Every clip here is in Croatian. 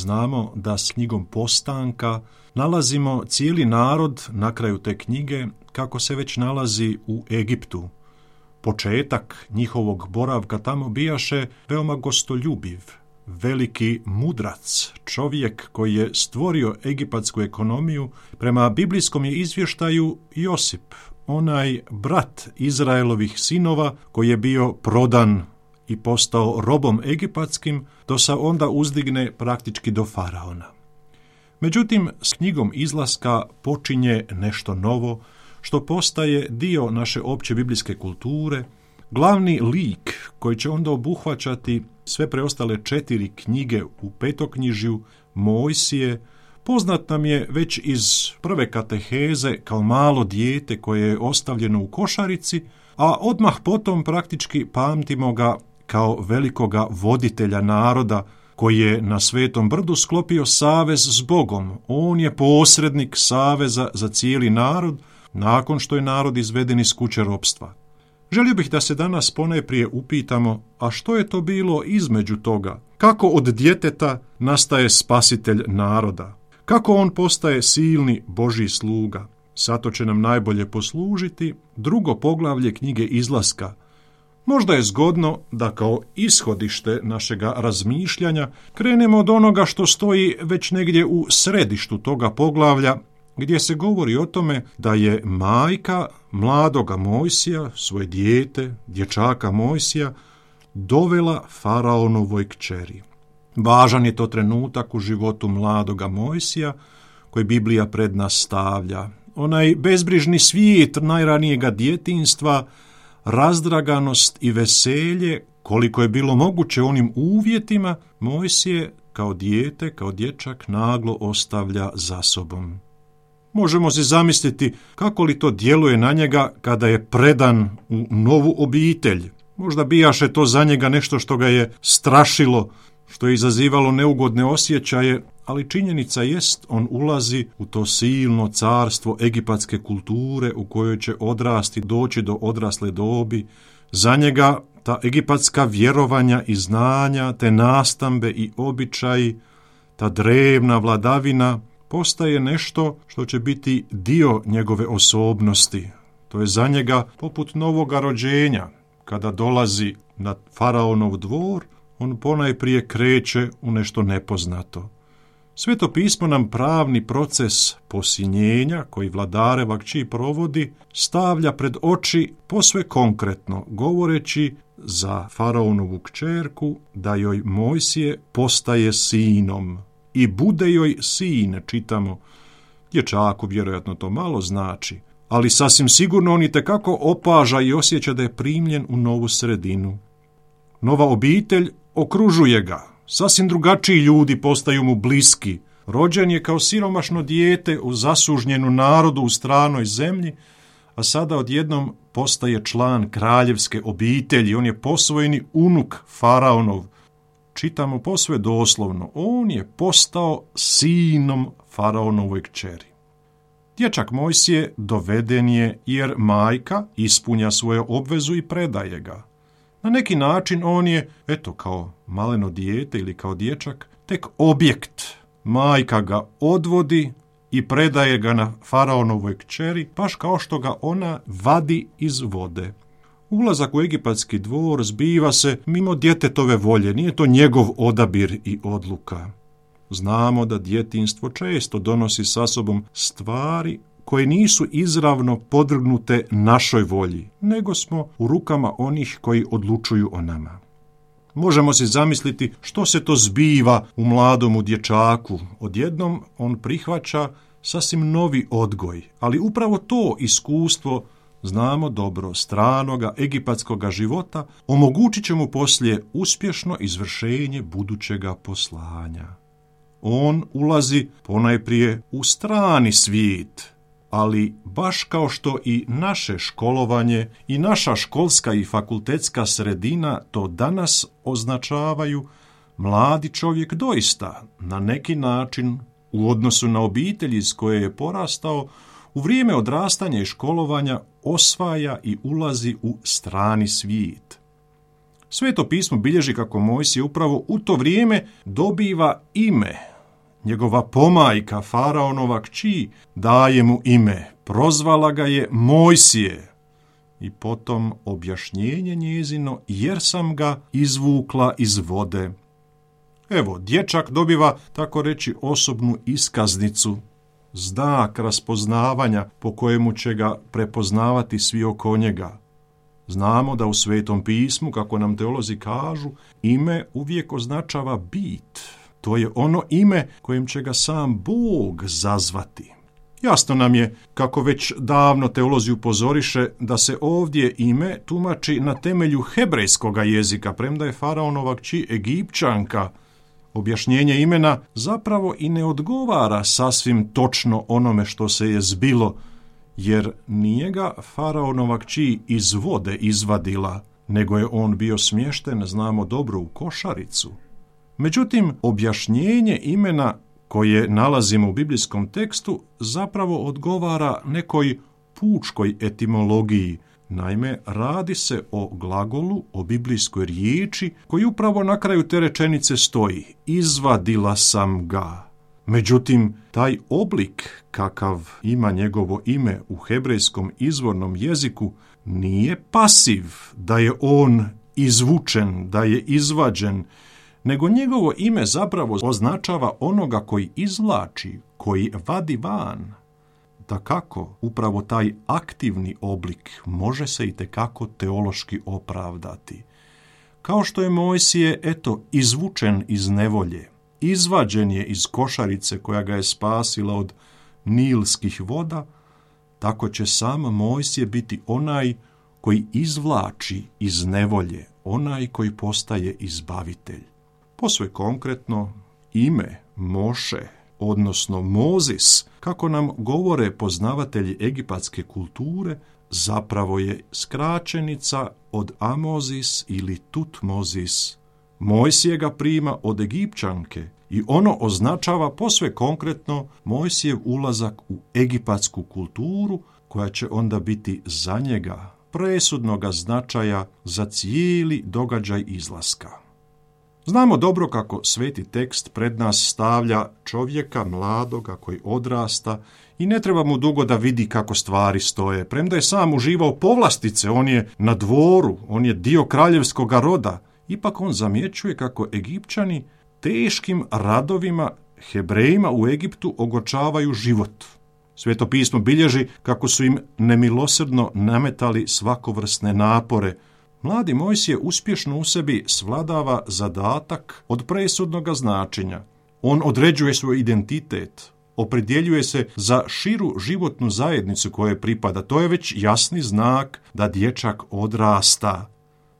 znamo da s knjigom Postanka nalazimo cijeli narod na kraju te knjige kako se već nalazi u Egiptu. Početak njihovog boravka tamo bijaše veoma gostoljubiv, veliki mudrac, čovjek koji je stvorio egipatsku ekonomiju. Prema biblijskom je izvještaju Josip, onaj brat Izraelovih sinova koji je bio prodan i postao robom egipatskim, do se onda uzdigne praktički do faraona. Međutim, s knjigom Izlaska počinje nešto novo, što postaje dio naše opće biblijske kulture. Glavni lik koji će onda obuhvaćati sve preostale 4 knjige u petoknjižju, Mojsije, poznat nam je već iz prve kateheze kao malo dijete koje je ostavljeno u košarici, a odmah potom praktički pamtimo ga kao velikoga voditelja naroda koji je na Svetom brdu sklopio savez s Bogom. On je posrednik saveza za cijeli narod nakon što je narod izveden iz kuće ropstva. Želio bih da se danas ponajprije upitamo, a što je to bilo između toga? Kako od djeteta nastaje spasitelj naroda? Kako on postaje silni Božji sluga? Zato će nam najbolje poslužiti 2. poglavlje knjige Izlaska. Možda je zgodno da kao ishodište našega razmišljanja krenemo od onoga što stoji već negdje u središtu toga poglavlja, gdje se govori o tome da je majka mladoga Mojsija, svoje dijete, dječaka Mojsija, dovela faraonovoj kćeri. Važan je to trenutak u životu mladoga Mojsija koji Biblija pred nas stavlja. Onaj bezbrižni svijet najranijega djetinjstva, razdraganost i veselje, koliko je bilo moguće u onim uvjetima, Mojsije kao dijete, kao dječak naglo ostavlja za sobom. Možemo si zamisliti kako li to djeluje na njega kada je predan u novu obitelj. Možda bijaše to za njega nešto što ga je strašilo, što je izazivalo neugodne osjećaje, ali činjenica jest, on ulazi u to silno carstvo egipatske kulture u kojoj će odrasti, doći do odrasle dobi. Za njega ta egipatska vjerovanja i znanja, te nastambe i običaji, ta drevna vladavina postaje nešto što će biti dio njegove osobnosti. To je za njega poput novoga rođenja. Kada dolazi na faraonov dvor, on ponajprije kreće u nešto nepoznato. Sveto pismo nam pravni proces posinjenja koji vladareva kći provodi stavlja pred oči posve konkretno, govoreći za faraonovu kćerku da joj Mojsije postaje sinom i bude joj sin, čitamo. Dječaku vjerojatno to malo znači, ali sasvim sigurno on itekako opaža i osjeća da je primljen u novu sredinu. Nova obitelj okružuje ga, sasvim drugačiji ljudi postaju mu bliski. Rođen je kao siromašno dijete u zasužnjenu narodu u stranoj zemlji, a sada odjednom postaje član kraljevske obitelji. On je posvojeni unuk faraonov. Čitamo posve doslovno, on je postao sinom faraonovoj kćeri. Dječak Mojsije doveden je jer majka ispunja svoju obvezu i predaje ga. Na neki način on je, kao maleno dijete ili kao dječak, tek objekt. Majka ga odvodi i predaje ga na faraonovoj kćeri, baš kao što ga ona vadi iz vode. Ulazak u egipatski dvor zbiva se mimo djetetove volje, nije to njegov odabir i odluka. Znamo da djetinjstvo često donosi sa sobom stvari koje nisu izravno podvrgnute našoj volji, nego smo u rukama onih koji odlučuju o nama. Možemo si zamisliti što se to zbiva u mladomu dječaku. Odjednom on prihvaća sasvim novi odgoj, ali upravo to iskustvo, znamo dobro, stranoga egipatskoga života, omogućit će mu poslije uspješno izvršenje budućega poslanja. On ulazi ponajprije u strani svijet, ali baš kao što i naše školovanje i naša školska i fakultetska sredina to danas označavaju, mladi čovjek doista na neki način u odnosu na obitelji iz koje je porastao, u vrijeme odrastanja i školovanja osvaja i ulazi u strani svijet. Sveto pismo bilježi kako Mojsije upravo u to vrijeme dobiva ime, njegova pomajka, faraonova kći, daje mu ime, prozvala ga je Mojsije. I potom objašnjenje njezino, jer sam ga izvukla iz vode. Evo, dječak dobiva, tako reći, osobnu iskaznicu, znak raspoznavanja po kojemu će ga prepoznavati svi oko njega. Znamo da u Svetom pismu, kako nam teolozi kažu, ime uvijek označava bit. To je ono ime kojim će ga sam Bog zazvati. Jasno nam je, kako već davno teolozi upozoriše, da se ovdje ime tumači na temelju hebrejskoga jezika, premda je faraonova kći Egipćanka. Objašnjenje imena zapravo i ne odgovara sasvim točno onome što se je zbilo, jer nije ga faraonova kći iz vode izvadila, nego je on bio smješten, znamo dobro, u košaricu. Međutim, objašnjenje imena koje nalazimo u biblijskom tekstu zapravo odgovara nekoj pučkoj etimologiji. Naime, radi se o glagolu, o biblijskoj riječi koji upravo na kraju te rečenice stoji: izvadila sam ga. Međutim, taj oblik kakav ima njegovo ime u hebrejskom izvornom jeziku nije pasiv, da je on izvučen, da je izvađen, nego njegovo ime zapravo označava onoga koji izvlači, koji vadi van. Dakako, upravo taj aktivni oblik može se itekako teološki opravdati. Kao što je Mojsije, izvučen iz nevolje, izvađen je iz košarice koja ga je spasila od nilskih voda, tako će sam Mojsije biti onaj koji izvlači iz nevolje, onaj koji postaje izbavitelj. Posve konkretno, ime Moše, odnosno Mozis, kako nam govore poznavatelji egipatske kulture, zapravo je skraćenica od Amozis ili Tutmozis. Mojsije ga prima od Egipćanke i ono označava posve konkretno Mojsijev ulazak u egipatsku kulturu, koja će onda biti za njega presudnoga značaja za cijeli događaj izlaska. Znamo dobro kako sveti tekst pred nas stavlja čovjeka mladoga koji odrasta i ne treba mu dugo da vidi kako stvari stoje. Premda je sam uživao povlastice, on je na dvoru, on je dio kraljevskog roda, ipak on zamjećuje kako Egipćani teškim radovima Hebrejima u Egiptu ogorčavaju život. Sveto pismo bilježi kako su im nemilosrdno nametali svakovrsne napore. Mladi Mojsije uspješno u sebi svladava zadatak od presudnoga značenja. On određuje svoj identitet, opredjeljuje se za širu životnu zajednicu kojoj pripada. To je već jasni znak da dječak odrasta.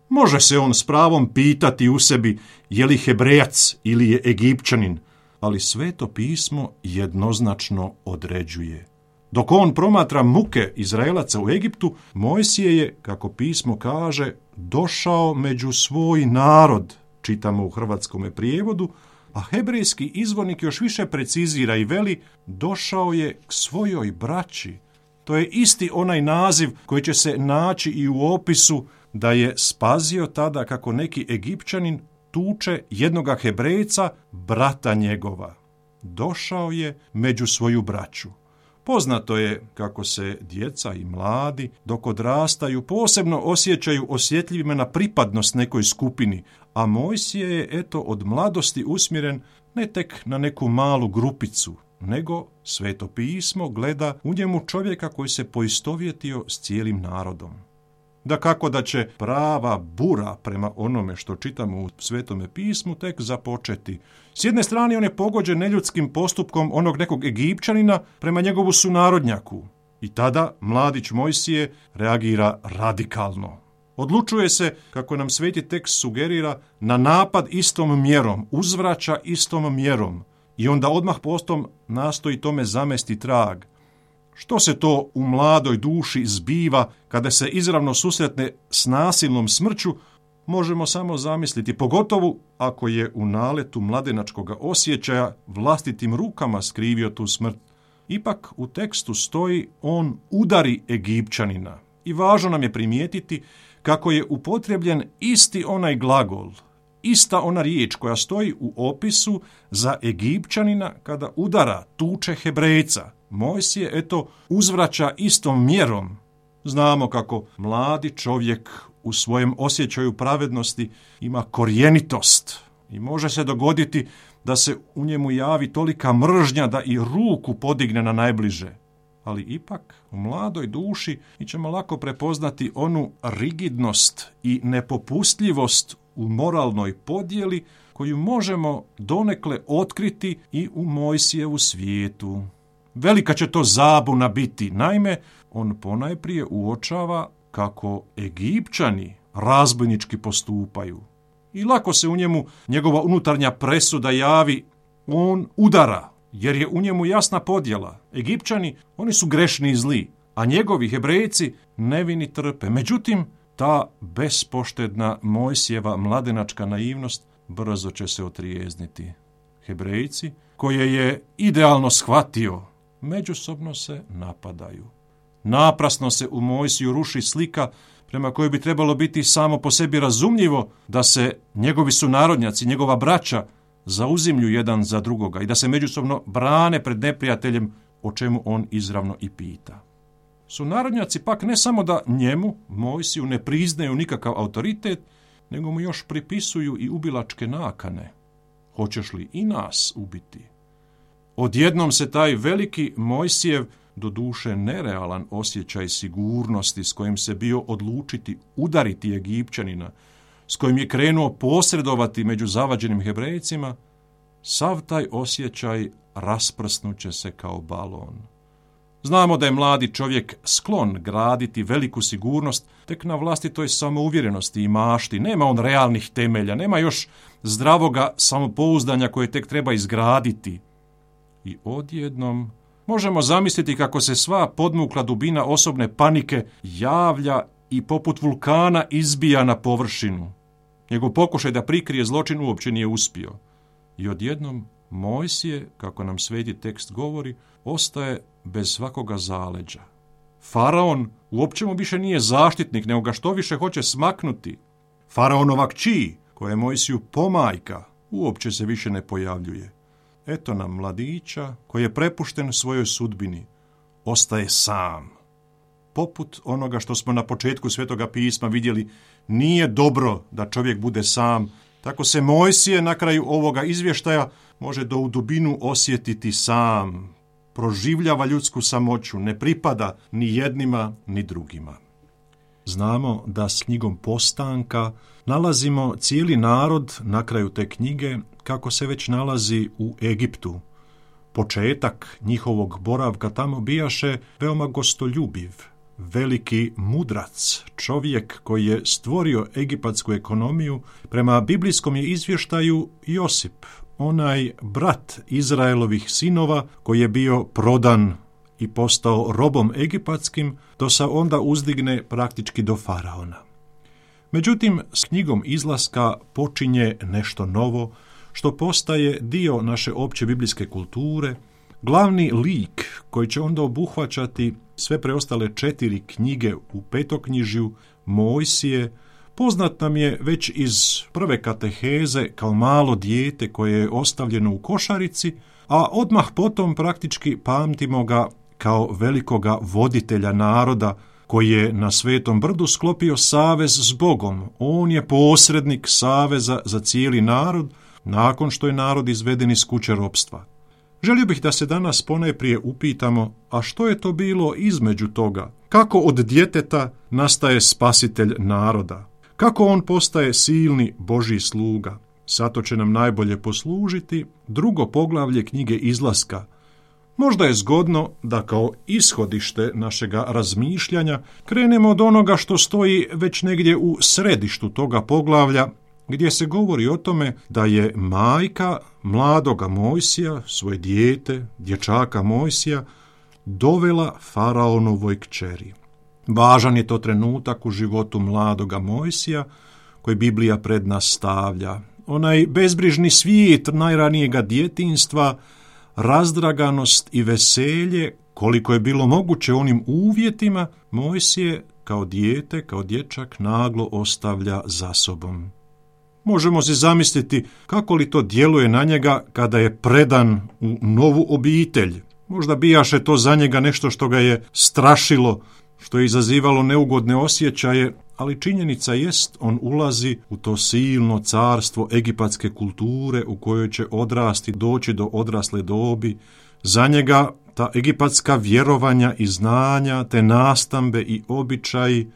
Može se on s pravom pitati u sebi je li Hebrejac ili je Egipćanin, ali Sveto pismo jednoznačno određuje. Dok on promatra muke Izraelaca u Egiptu, Mojsije je, kako pismo kaže, došao među svoj narod, čitamo u hrvatskome prijevodu, a hebrejski izvornik još više precizira i veli, došao je k svojoj braći. To je isti onaj naziv koji će se naći i u opisu da je spazio tada kako neki Egipćanin tuče jednoga Hebrejca, brata njegova. Došao je među svoju braću. Poznato je kako se djeca i mladi dok odrastaju posebno osjećaju osjetljivima na pripadnost nekoj skupini, a Mojsije je od mladosti usmjeren ne tek na neku malu grupicu, nego Sveto pismo gleda u njemu čovjeka koji se poistovjetio s cijelim narodom. Dakako da će prava bura prema onome što čitamo u Svetome pismu tek započeti. S jedne strane on je pogođen neljudskim postupkom onog nekog Egipćanina prema njegovu sunarodnjaku. I tada mladić Mojsije reagira radikalno. Odlučuje se, kako nam sveti tekst sugerira, na napad istom mjerom, uzvraća istom mjerom i onda odmah postom nastoji tome zamesti trag. Što se to u mladoj duši zbiva kada se izravno susretne s nasilnom smrću, možemo samo zamisliti, pogotovo ako je u naletu mladenačkog osjećaja vlastitim rukama skrivio tu smrt. Ipak u tekstu stoji on udari Egipćanina i važno nam je primijetiti kako je upotrebljen isti onaj glagol, ista ona riječ koja stoji u opisu za Egipćanina kada udara, tuče Hebrejca. Mojsije, eto, uzvraća istom mjerom. Znamo kako mladi čovjek u svojem osjećaju pravednosti ima korjenitost i može se dogoditi da se u njemu javi tolika mržnja da i ruku podigne na najbliže. Ali ipak u mladoj duši mi ćemo lako prepoznati onu rigidnost i nepopustljivost u moralnoj podjeli koju možemo donekle otkriti i u Mojsijevu svijetu. Velika će to zabuna biti. Naime, on ponajprije uočava kako Egipćani razbojnički postupaju. I lako se u njemu njegova unutarnja presuda javi, on udara, jer je u njemu jasna podjela. Egipćani, oni su grešni i zli, a njegovi Hebrejci nevini trpe. Međutim, ta bespoštedna Mojsijeva mladenačka naivnost brzo će se otrijezniti. Hebrejci, koje je idealno shvatio, međusobno se napadaju. Naprasno se u Mojsiju ruši slika prema kojoj bi trebalo biti samo po sebi razumljivo da se njegovi sunarodnjaci, njegova braća, zauzimlju jedan za drugoga i da se međusobno brane pred neprijateljem, o čemu on izravno i pita. Sunarodnjaci pak ne samo da njemu, Mojsiju, ne priznaju nikakav autoritet, nego mu još pripisuju i ubilačke nakane. Hoćeš li i nas ubiti? Odjednom se taj veliki Mojsijev, doduše nerealan osjećaj sigurnosti s kojim se bio odlučiti udariti Egipćanina, s kojim je krenuo posredovati među zavađenim Hebrejcima, sav taj osjećaj rasprsnuće se kao balon. Znamo da je mladi čovjek sklon graditi veliku sigurnost tek na vlastitoj samouvjerenosti i mašti. Nema on realnih temelja, nema još zdravoga samopouzdanja koje tek treba izgraditi. I odjednom možemo zamisliti kako se sva podmukla dubina osobne panike javlja i poput vulkana izbija na površinu. Njegov pokušaj da prikrije zločin uopće nije uspio. I odjednom Mojsije, kako nam sveti tekst govori, ostaje bez svakoga zaleđa. Faraon uopće mu više nije zaštitnik, nego ga što više hoće smaknuti. Faraonova kći, koja je Mojsiju pomajka, uopće se više ne pojavljuje. Eto nam mladića koji je prepušten svojoj sudbini. Ostaje sam. Poput onoga što smo na početku Svetoga pisma vidjeli, nije dobro da čovjek bude sam. Tako se Mojsije na kraju ovoga izvještaja može do u dubinu osjetiti sam. Proživljava ljudsku samoću, ne pripada ni jednima ni drugima. Znamo da s knjigom Postanka nalazimo cijeli narod na kraju te knjige kako se već nalazi u Egiptu. Početak njihovog boravka tamo bijaše veoma gostoljubiv, veliki mudrac, čovjek koji je stvorio egipatsku ekonomiju. Prema biblijskom je izvještaju Josip, onaj brat Izraelovih sinova koji je bio prodan i postao robom egipatskim, do se onda uzdigne praktički do faraona. Međutim, s knjigom Izlaska počinje nešto novo, što postaje dio naše opće biblijske kulture, glavni lik koji će onda obuhvaćati sve preostale 4 knjige u petoknjižju, Mojsije, poznat nam je već iz prve kateheze kao malo dijete koje je ostavljeno u košarici, a odmah potom praktički pamtimo ga kao velikoga voditelja naroda koji je na Svetom brdu sklopio savez s Bogom. On je posrednik saveza za cijeli narod nakon što je narod izveden iz kuće ropstva. Želio bih da se danas ponajprije upitamo, a što je to bilo između toga? Kako od djeteta nastaje spasitelj naroda? Kako on postaje silni Božji sluga? Zato će nam najbolje poslužiti 2. poglavlje knjige Izlaska. Možda je zgodno da kao ishodište našega razmišljanja krenemo od onoga što stoji već negdje u središtu toga poglavlja, gdje se govori o tome da je majka mladoga Mojsija, svoje dijete, dječaka Mojsija, dovela faraonovoj kćeri. Važan je to trenutak u životu mladoga Mojsija koji Biblija pred nas stavlja. Onaj bezbrižni svijet najranijega djetinjstva, razdraganost i veselje, koliko je bilo moguće onim uvjetima, Mojsije kao dijete, kao dječak naglo ostavlja za sobom. Možemo si zamisliti kako li to djeluje na njega kada je predan u novu obitelj. Možda bijaše to za njega nešto što ga je strašilo, što je izazivalo neugodne osjećaje, ali činjenica jest, on ulazi u to silno carstvo egipatske kulture u kojoj će odrasti, doći do odrasle dobi. Za njega ta egipatska vjerovanja i znanja, te nastambe i običaji,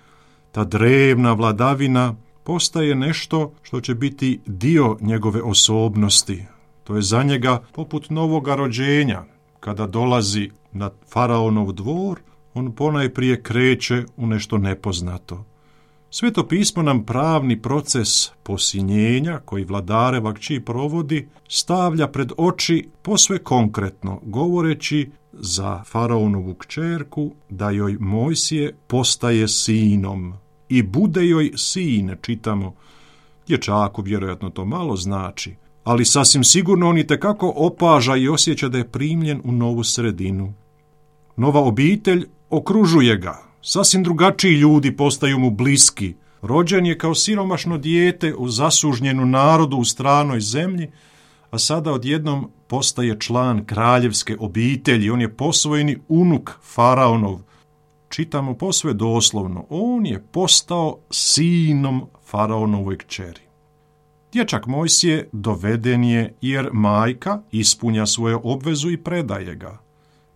ta drevna vladavina postaje nešto što će biti dio njegove osobnosti. To je za njega poput novoga rođenja. Kada dolazi na faraonov dvor, on ponajprije kreće u nešto nepoznato. Sveto pismo nam pravni proces posinjenja koji vladareva kći provodi stavlja pred oči posve konkretno, govoreći za faraonovu kćerku da joj Mojsije postaje sinom i bude joj sin, čitamo. Dječaku vjerojatno to malo znači, ali sasvim sigurno on itekako opaža i osjeća da je primljen u novu sredinu. Nova obitelj okružuje ga, sasvim drugačiji ljudi postaju mu bliski. Rođen je kao siromašno dijete u zasužnjenu narodu u stranoj zemlji, a sada odjednom postaje član kraljevske obitelji. On je posvojeni unuk faraonov. Čitamo posve doslovno, on je postao sinom faraonovoj kćeri. Dječak Mojsije doveden je jer majka ispunja svoju obvezu i predaje ga.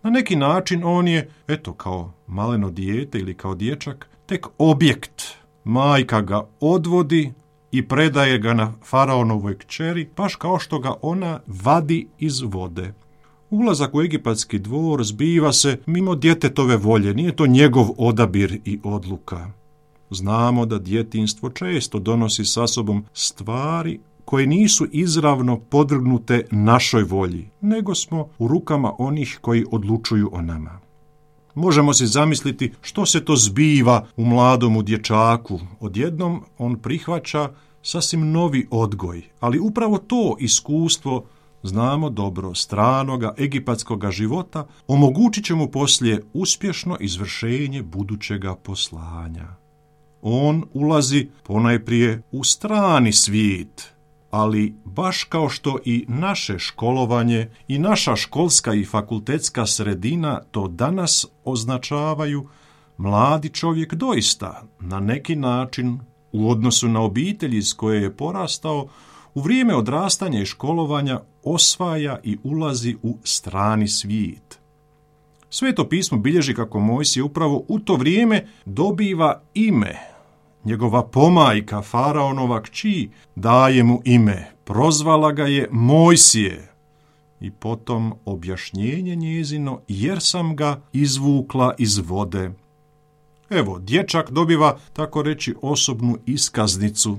Na neki način on je, kao maleno dijete ili kao dječak, tek objekt. Majka ga odvodi i predaje ga na faraonovoj kćeri, baš kao što ga ona vadi iz vode. Ulazak u egipatski dvor zbiva se mimo djetetove volje, nije to njegov odabir i odluka. Znamo da djetinjstvo često donosi sa sobom stvari koje nisu izravno podvrgnute našoj volji, nego smo u rukama onih koji odlučuju o nama. Možemo si zamisliti što se to zbiva u mladomu dječaku. Odjednom on prihvaća sasvim novi odgoj, ali upravo to iskustvo, znamo dobro, stranoga egipatskoga života, omogućit će mu poslije uspješno izvršenje budućega poslanja. On ulazi ponajprije u strani svijet, ali baš kao što i naše školovanje i naša školska i fakultetska sredina to danas označavaju, mladi čovjek doista na neki način u odnosu na obitelji iz koje je porastao, u vrijeme odrastanja i školovanja osvaja i ulazi u strani svijet. Sveto pismo bilježi kako Mojsije upravo u to vrijeme dobiva ime. Njegova pomajka, faraonova kći, daje mu ime, prozvala ga je Mojsije. I potom objašnjenje njezino, jer sam ga izvukla iz vode. Evo, dječak dobiva, tako reći, osobnu iskaznicu,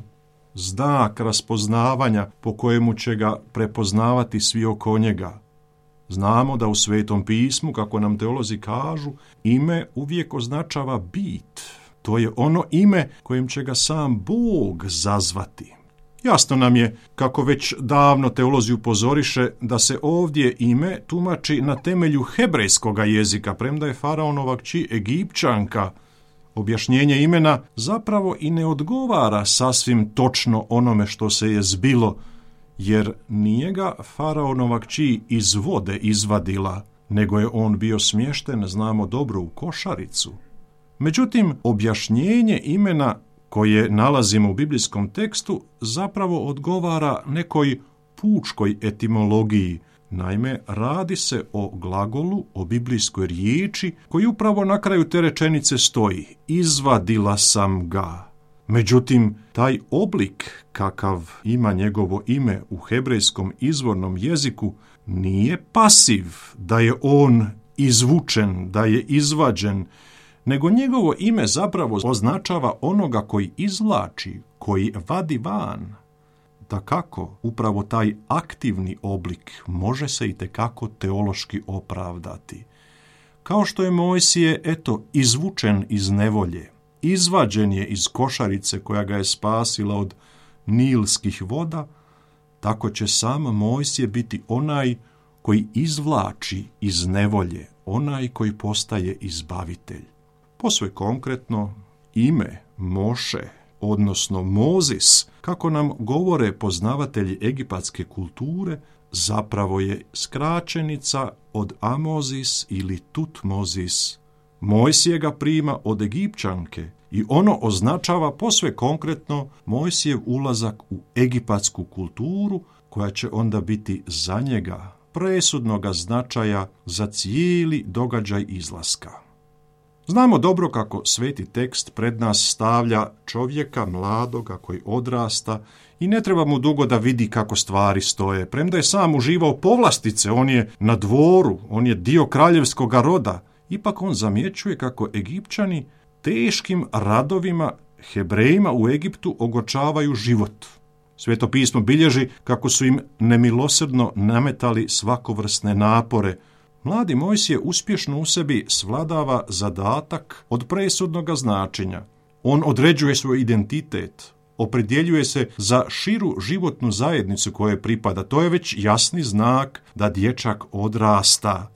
znak raspoznavanja po kojemu će ga prepoznavati svi oko njega. Znamo da u Svetom pismu, kako nam teolozi kažu, ime uvijek označava bit. To je ono ime kojim će ga sam Bog zazvati. Jasno nam je, kako već davno teolozi upozoriše, da se ovdje ime tumači na temelju hebrejskoga jezika, premda je faraonova kći Egipćanka. Objašnjenje imena zapravo i ne odgovara sasvim točno onome što se je zbilo, jer nije ga faraonova kći iz vode izvadila, nego je on bio smješten, znamo dobro, u košaricu. Međutim, objašnjenje imena koje nalazimo u biblijskom tekstu zapravo odgovara nekoj pučkoj etimologiji. Naime, radi se o glagolu, o biblijskoj riječi koji upravo na kraju te rečenice stoji: izvadila sam ga. Međutim, taj oblik kakav ima njegovo ime u hebrejskom izvornom jeziku nije pasiv, da je on izvučen, da je izvađen, nego njegovo ime zapravo označava onoga koji izvlači, koji vadi van. Dakako, upravo taj aktivni oblik može se itekako teološki opravdati. Kao što je Mojsije, izvučen iz nevolje, izvađen je iz košarice koja ga je spasila od nilskih voda, tako će sam Mojsije biti onaj koji izvlači iz nevolje, onaj koji postaje izbavitelj. Posve konkretno, ime Moše, odnosno Mozis, kako nam govore poznavatelji egipatske kulture, zapravo je skraćenica od Amozis ili Tutmozis. Mojsije ga prima od Egipćanke i ono označava posve konkretno Mojsijev ulazak u egipatsku kulturu, koja će onda biti za njega presudnoga značaja za cijeli događaj izlaska. Znamo dobro kako sveti tekst pred nas stavlja čovjeka mladoga koji odrasta i ne treba mu dugo da vidi kako stvari stoje. Premda je sam uživao povlastice, on je na dvoru, on je dio kraljevskoga roda, ipak on zamjećuje kako Egipćani teškim radovima Hebrejima u Egiptu ogorčavaju život. Sveto pismo bilježi kako su im nemilosrdno nametali svakovrsne napore. Mladi Mojsije uspješno u sebi svladava zadatak od presudnoga značenja. On određuje svoj identitet, opredjeljuje se za širu životnu zajednicu kojoj pripada. To je već jasni znak da dječak odrasta.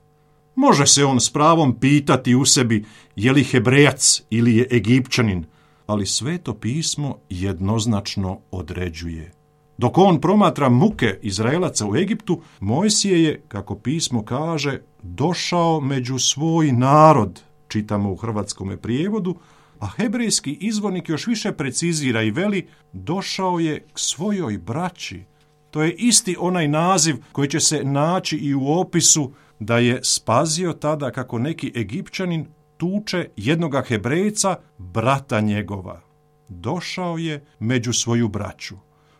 Može se on s pravom pitati u sebi je li Hebrejac ili je Egipćanin, ali Sveto pismo jednoznačno određuje. Dok on promatra muke Izraelaca u Egiptu, Mojsije je, kako pismo kaže, došao među svoj narod, čitamo u hrvatskome prijevodu, a hebrejski izvornik još više precizira i veli, došao je k svojoj braći. To je isti onaj naziv koji će se naći i u opisu da je spazio tada kako neki Egipćanin tuče jednoga Hebrejca, brata njegova. Došao je među svoju braću.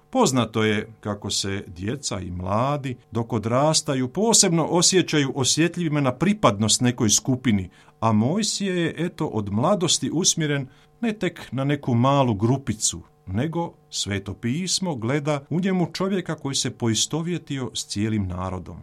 Poznato je kako se djeca i mladi dok odrastaju posebno osjećaju osjetljivima na pripadnost nekoj skupini, a Mojsije je eto od mladosti usmjeren ne tek na neku malu grupicu, nego Sveto pismo gleda u njemu čovjeka koji se poistovjetio s cijelim narodom.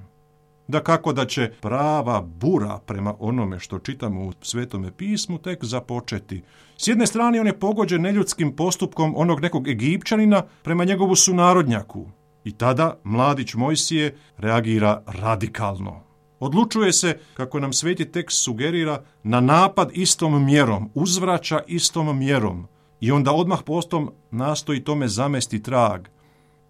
Dakako da će prava bura prema onome što čitamo u Svetome pismu tek započeti. S jedne strane on je pogođen neljudskim postupkom onog nekog Egipćanina prema njegovu sunarodnjaku. I tada mladić Mojsije reagira radikalno. Odlučuje se, kako nam sveti tekst sugerira, na napad istom mjerom, uzvraća istom mjerom i onda odmah postom nastoji tome zamesti trag.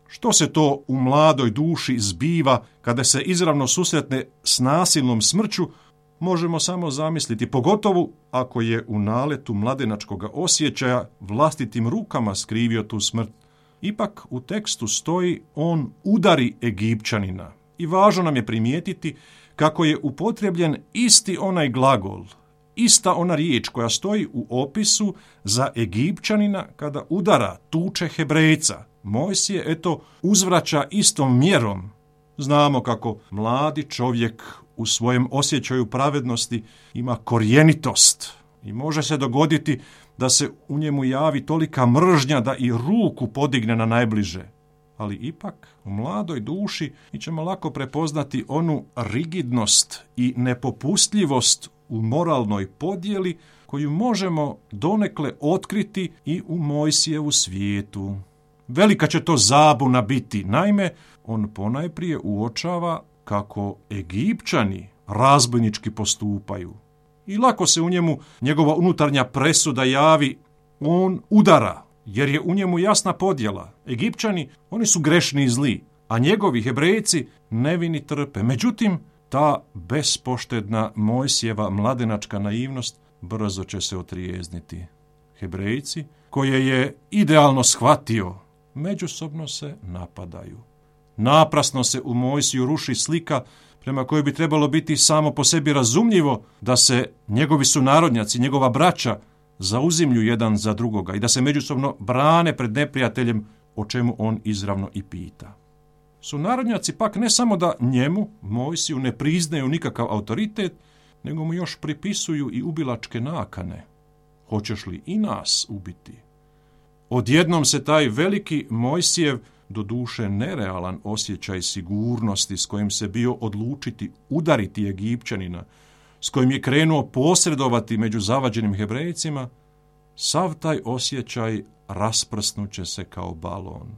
Što se to u mladoj duši zbiva kada se izravno susretne s nasilnom smrću, možemo samo zamisliti, pogotovo ako je u naletu mladenačkog osjećaja vlastitim rukama skrivio tu smrt. Ipak u tekstu stoji on udari Egipćanina i važno nam je primijetiti kako je upotrebljen isti onaj glagol, ista ona riječ koja stoji u opisu za Egipćanina kada udara, tuče Hebrejca. Mojsije, eto, uzvraća istom mjerom. Znamo kako mladi čovjek u svojem osjećaju pravednosti ima korjenitost i može se dogoditi da se u njemu javi tolika mržnja da i ruku podigne na najbliže. Ali ipak u mladoj duši mi ćemo lako prepoznati onu rigidnost i nepopustljivost u moralnoj podjeli koju možemo donekle otkriti i u Mojsijevu svijetu. Velika će to zabuna biti. Naime, on ponajprije uočava kako Egipćani razbojnički postupaju. I lako se u njemu njegova unutarnja presuda javi, on udara, jer je u njemu jasna podjela. Egipćani, oni su grešni i zli, a njegovi Hebrejci nevini trpe. Međutim, ta bespoštedna Mojsijeva mladenačka naivnost brzo će se otrijezniti. Hebrejci, koje je idealno shvatio, međusobno se napadaju. Naprasno se u Mojsiju ruši slika prema kojoj bi trebalo biti samo po sebi razumljivo da se njegovi sunarodnjaci, njegova braća, zauzimlju jedan za drugoga i da se međusobno brane pred neprijateljem, o čemu on izravno i pita. Sunarodnjaci pak ne samo da njemu, Mojsiju, ne priznaju nikakav autoritet, nego mu još pripisuju i ubilačke nakane. Hoćeš li i nas ubiti? Odjednom se taj veliki Mojsijev, doduše nerealan osjećaj sigurnosti s kojim se bio odlučiti udariti Egipćanina, s kojim je krenuo posredovati među zavađenim Hebrejcima, sav taj osjećaj rasprsnuće se kao balon.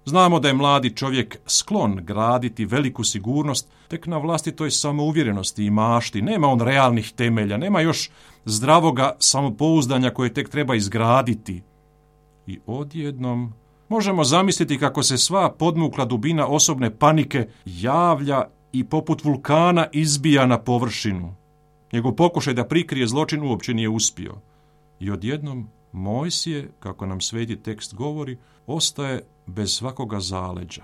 Znamo da je mladi čovjek sklon graditi veliku sigurnost tek na vlastitoj samouvjerenosti i mašti. Nema on realnih temelja, nema još zdravoga samopouzdanja koje tek treba izgraditi. I odjednom možemo zamisliti kako se sva podmukla dubina osobne panike javlja i poput vulkana izbija na površinu. Njegov pokušaj da prikrije zločin uopće nije uspio. I odjednom Mojsije, kako nam sveti tekst govori, ostaje bez svakoga zaleđa.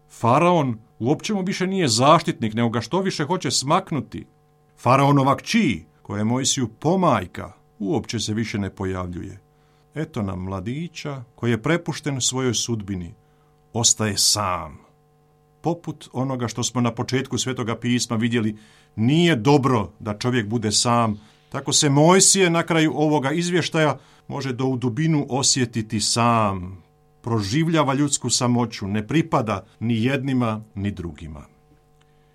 Faraon uopće mu više nije zaštitnik, nego ga što više hoće smaknuti. Faraonova kći, koja je Mojsiju pomajka, uopće se više ne pojavljuje. Eto nam mladića koji je prepušten svojoj sudbini. Ostaje sam. Poput onoga što smo na početku Svetoga pisma vidjeli, nije dobro da čovjek bude sam. Tako se Mojsije na kraju ovoga izvještaja može do u dubinu osjetiti sam. Proživljava ljudsku samoću, ne pripada ni jednima ni drugima.